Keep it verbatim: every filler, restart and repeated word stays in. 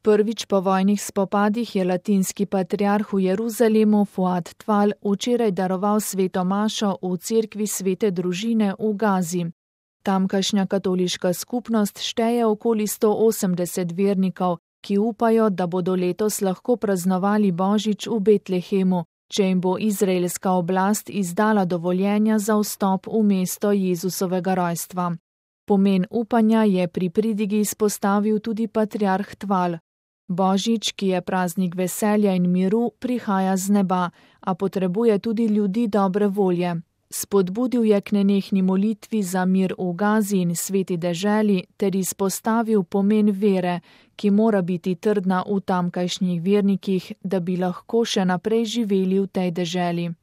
Prvič po vojnih spopadih je latinski patriarh v Jeruzalemu Fuad Tval včeraj daroval sveto mašo v cerkvi Svete družine v Gazi. Tamkajšnja katoliška skupnost šteje okoli sto osemdeset vernikov, ki upajo, da bodo letos lahko praznovali Božič v Betlehemu, če jim bo izraelska oblast izdala dovoljenja za vstop v mesto Jezusovega rojstva. Pomen upanja je pri pridigi izpostavil tudi patriarh Tval. Božič, ki je praznik veselja in miru, prihaja z neba, a potrebuje tudi ljudi dobre volje. Spodbudil je k nenehni molitvi za mir v Gazi in sveti deželi ter izpostavil pomen vere, ki mora biti trdna v tamkajšnjih vernikih, da bi lahko še naprej živeli v tej deželi.